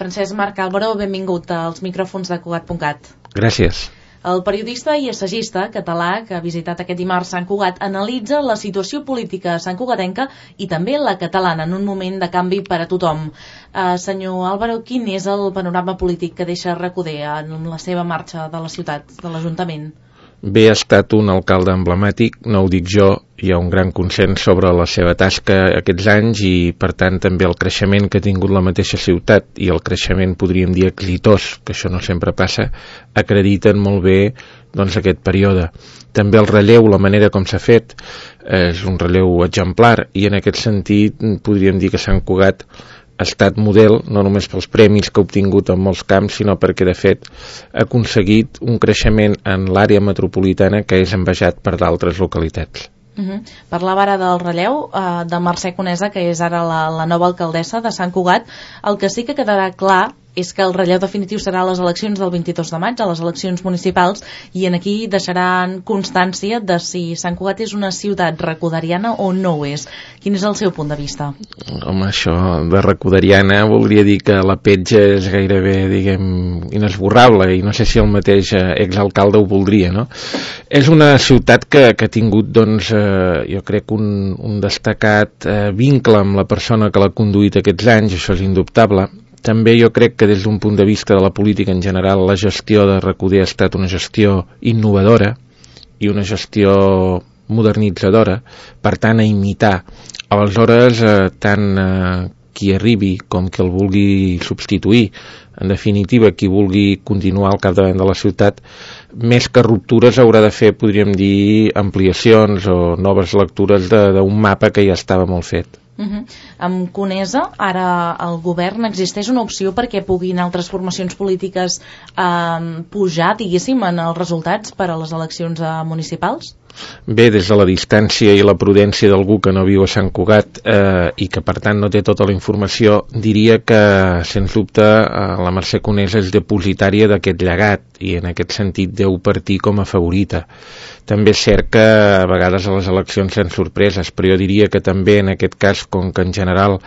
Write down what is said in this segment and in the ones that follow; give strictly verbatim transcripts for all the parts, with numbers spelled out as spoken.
Francesc Marc Álvaro, benvingut als micròfons de Cugat punt cat. Gràcies. El periodista i assagista català que ha visitat aquest dimarts Sant Cugat analitza la situació política santcugatenca i també la catalana en un moment de canvi per a tothom. Uh, senyor Álvaro, quin és el panorama polític que deixa Recoder en la seva marxa de la ciutat, de l'Ajuntament? Bé, ha estat un alcalde emblemàtic, no ho dic jo, hi ha un gran consens sobre la seva tasca aquests anys i, per tant, també el creixement que ha tingut la mateixa ciutat i el creixement, podríem dir, exitós, que això no sempre passa, acrediten molt bé doncs, aquest període. També el relleu, la manera com s'ha fet, és un relleu exemplar i, en aquest sentit, podríem dir que Sant Cugat ha estat model, no només pels premis que ha obtingut en molts camps, sinó perquè, de fet, ha aconseguit un creixement en l'àrea metropolitana que és envejat per d'altres localitats. Uh-huh. Parlava ara del relleu uh, de Mercè Conesa, que és ara la, la nova alcaldessa de Sant Cugat. El que sí que quedarà clar és que el relleu definitiu serà a les eleccions del vint-i-dos de maig, a les eleccions municipals, i en aquí deixaran constància de si Sant Cugat és una ciutat recoderiana o no ho és. Quin és el seu punt de vista? Home, això de recoderiana voldria dir que la petja és gairebé, diguem, inesborrable, i no sé si el mateix exalcalde ho voldria, no? És una ciutat que, que ha tingut, doncs, eh, jo crec, un, un destacat eh, vincle amb la persona que l'ha conduït aquests anys, això és indubtable. També jo crec que des d'un punt de vista de la política en general la gestió de Recoder ha estat una gestió innovadora i una gestió modernitzadora, per tant a imitar. Aleshores, eh, tant eh, qui arribi com qui el vulgui substituir, en definitiva qui vulgui continuar al capdavant de la ciutat, més que ruptures haurà de fer, podríem dir, ampliacions o noves lectures d'un mapa que ja estava molt fet. Uh-huh. Amb Conesa, ara el govern, existeix una opció perquè puguin altres formacions polítiques eh, pujar, diguéssim, en els resultats per a les eleccions eh, municipals? Bé, des de la distància i la prudència d'algú que no viu a Sant Cugat eh, i que per tant no té tota la informació, diria que sens dubte eh, la Mercè Conesa és depositària d'aquest llegat i en aquest sentit deu partir com a favorita. També és cert que a vegades a les eleccions hi ha sorpreses, però jo diria que també en aquest cas, com que en general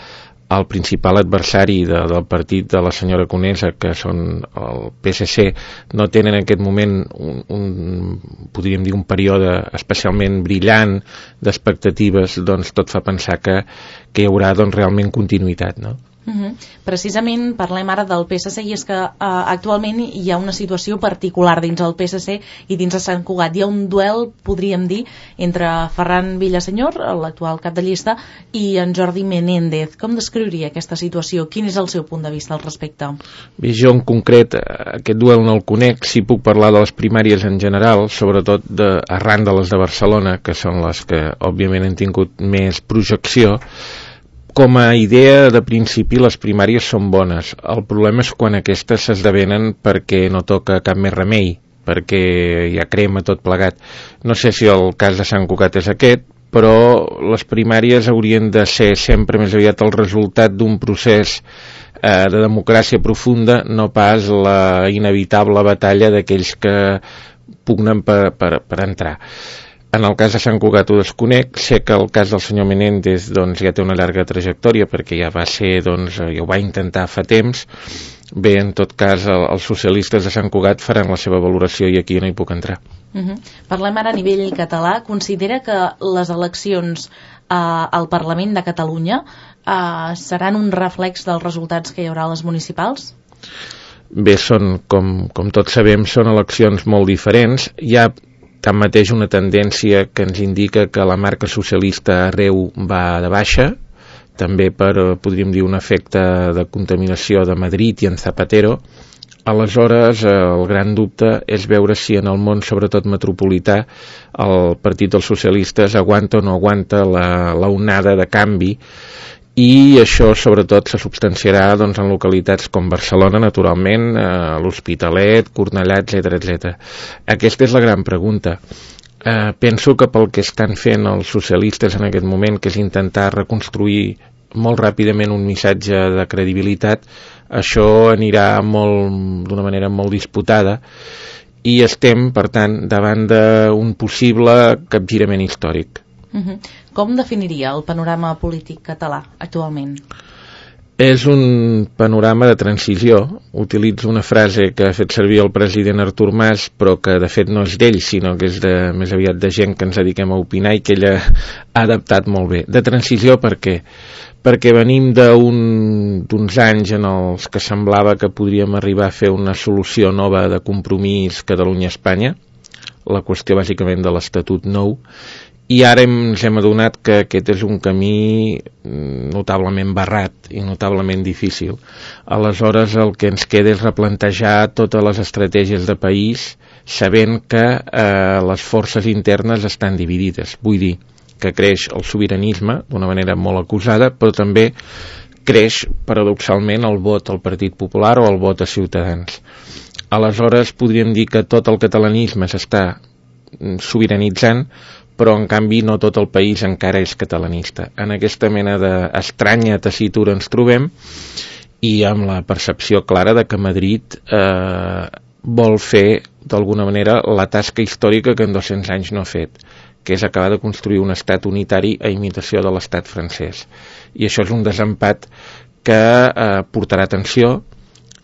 el principal adversari de, del partit de la senyora Conesa, que són el P S C, no tenen en aquest moment un, un, podríem dir, un període especialment brillant d'expectatives, doncs tot fa pensar que, que hi haurà doncs, realment continuïtat, no? Uh-huh. Precisament parlem ara del P S C i és que uh, actualment hi ha una situació particular dins el P S C i dins de Sant Cugat. Hi ha un duel, podríem dir, entre Ferran Villasenyor, l'actual cap de llista, i en Jordi Menéndez. Com descriuria aquesta situació? Quin és el seu punt de vista al respecte? Bé, jo en concret aquest duel no el conec, sí puc parlar de les primàries en general, sobretot de, arran de les de Barcelona, que són les que òbviament han tingut més projecció. Com a idea de principi les primàries són bones, el problema és quan aquestes s'esdevenen perquè no toca cap més remei, perquè ja crema tot plegat. No sé si el cas de Sant Cugat és aquest, però les primàries haurien de ser sempre més aviat el resultat d'un procés eh, de democràcia profunda, no pas la inevitable batalla d'aquells que pugnen per, per, per entrar. En el cas de Sant Cugat ho desconec, sé que el cas del senyor Menéndez doncs, ja té una llarga trajectòria perquè ja va ser, doncs, ja ho va intentar fa temps. Bé, en tot cas, el, els socialistes de Sant Cugat faran la seva valoració i aquí no hi puc entrar. Uh-huh. Parlem ara a nivell català. Considera que les eleccions eh, al Parlament de Catalunya eh, seran un reflex dels resultats que hi haurà a les municipals? Bé, són, com, com tots sabem, són eleccions molt diferents. Hi ha tanmateix una tendència que ens indica que la marca socialista arreu va de baixa, també per, podríem dir, un efecte de contaminació de Madrid i en Zapatero. Aleshores, el gran dubte és veure si en el món, sobretot metropolità, el Partit dels Socialistes aguanta o no aguanta la, la onada de canvi, i això sobretot se substanciarà doncs, en localitats com Barcelona, naturalment, eh, l'Hospitalet, Cornellà, etcètera, etcètera. Aquesta és la gran pregunta. Eh, penso que pel que estan fent els socialistes en aquest moment, que és intentar reconstruir molt ràpidament un missatge de credibilitat, això anirà molt, d'una manera molt disputada i estem, per tant, davant d'un possible capgirament històric. Uh-huh. Com definiria el panorama polític català actualment? És un panorama de transició. Utilitzo una frase que ha fet servir el president Artur Mas, però que de fet no és d'ell, sinó que és de, més aviat de gent que ens dediquem a opinar i que ella ha adaptat molt bé. De transició per què? Perquè venim d'un, d'uns anys en els que semblava que podríem arribar a fer una solució nova de compromís Catalunya-Espanya, la qüestió bàsicament de l'Estatut nou, i ara ens hem adonat que aquest és un camí notablement barrat i notablement difícil. Aleshores el que ens queda és replantejar totes les estratègies de país sabent que eh, les forces internes estan dividides. Vull dir que creix el sobiranisme d'una manera molt acusada, però també creix paradoxalment el vot al Partit Popular o el vot a Ciutadans. Aleshores podríem dir que tot el catalanisme s'està sobiranitzant, però en canvi no tot el país encara és catalanista. En aquesta mena d'estranya tessitura ens trobem i amb la percepció clara de que Madrid eh, vol fer d'alguna manera la tasca històrica que en dos-cents anys no ha fet, que és acabar de construir un estat unitari a imitació de l'estat francès. I això és un desempat que eh, portarà tensió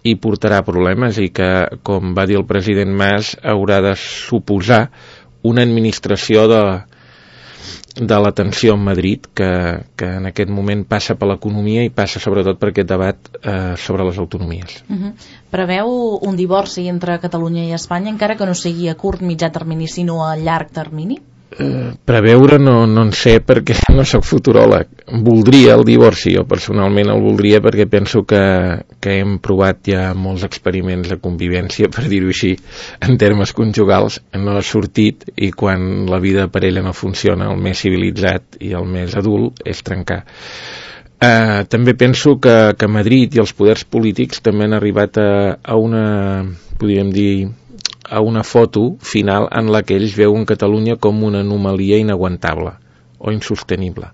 i portarà problemes i que, com va dir el president Mas, haurà de suposar una administració de, de la tensió en Madrid que, que en aquest moment passa per l'economia i passa sobretot per aquest debat eh, sobre les autonomies. Uh-huh. Preveu un divorci entre Catalunya i Espanya, encara que no sigui a curt, mitjà termini, sinó a llarg termini? Eh, preveure no, no en sé perquè no soc futuròleg. Voldria el divorci, jo personalment el voldria perquè penso que, que hem provat ja molts experiments de convivència, per dir-ho així, en termes conjugals, no ha sortit, i quan la vida de parella no funciona, el més civilitzat i el més adult és trencar. Eh, també penso que, que Madrid i els poders polítics també han arribat a, a una, podríem dir, a una foto final en la que ells veuen Catalunya com una anomalia inaguantable o insostenible.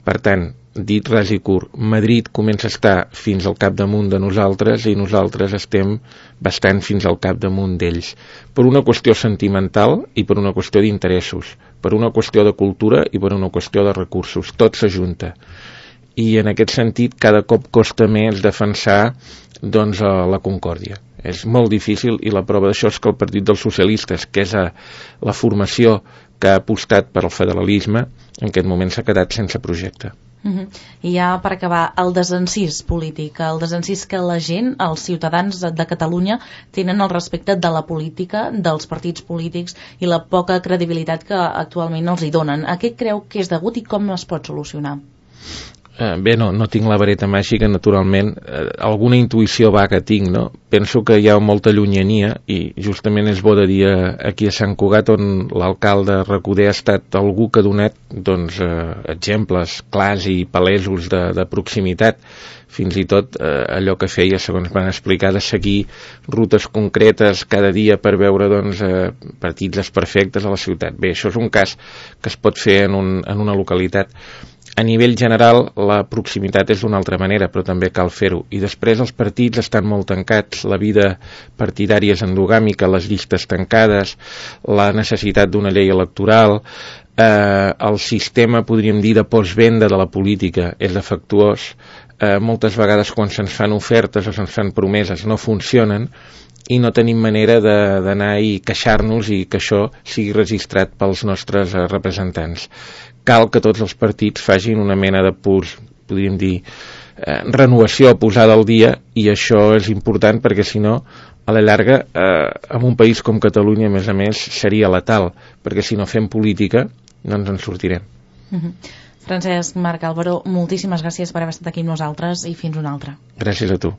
Per tant, dit ras i curt, Madrid comença a estar fins al capdamunt de nosaltres i nosaltres estem bastant fins al capdamunt d'ells. Per una qüestió sentimental i per una qüestió d'interessos, per una qüestió de cultura i per una qüestió de recursos. Tot s'ajunta. I en aquest sentit cada cop costa més defensar doncs, la concòrdia. És molt difícil i la prova d'això és que el Partit dels Socialistes, que és a la formació que ha apostat per al federalisme, en aquest moment s'ha quedat sense projecte. Uh-huh. I ja per acabar, el desencís polític, el desencís que la gent, els ciutadans de, de Catalunya tenen al respecte de la política, dels partits polítics i la poca credibilitat que actualment els hi donen. A què creu que és degut i com es pot solucionar? Eh, bé, no, no tinc la vareta màgica, naturalment. Eh, alguna intuïció vaga tinc, no? Penso que hi ha molta llunyania i justament és bo de dir aquí a Sant Cugat, on l'alcalde Recoder ha estat algú que ha donat doncs, eh, exemples clars i palesos de, de proximitat, fins i tot eh, allò que feia, segons van explicar, de seguir rutes concretes cada dia per veure doncs, eh, partits desperfectes a la ciutat. Bé, això és un cas que es pot fer en, un, en una localitat. A nivell general, la proximitat és d'una altra manera, però també cal fer-ho. I després els partits estan molt tancats, la vida partidària és endogàmica, les llistes tancades, la necessitat d'una llei electoral, eh, el sistema, podríem dir, de postvenda de la política és defectuós. Eh, moltes vegades quan se'ns fan ofertes o se'ns fan promeses no funcionen i no tenim manera d'anar i queixar-nos i que això sigui registrat pels nostres eh, representants. Cal que tots els partits facin una mena de purs, podríem dir, eh, renovació, posada al dia, i això és important perquè si no, a la llarga, eh, en un país com Catalunya, a més a més, seria letal, perquè si no fem política no ens en sortirem. Uh-huh. Francesc Marc Álvaro, moltíssimes gràcies per haver estat aquí amb nosaltres i fins una altra. Gràcies a tu.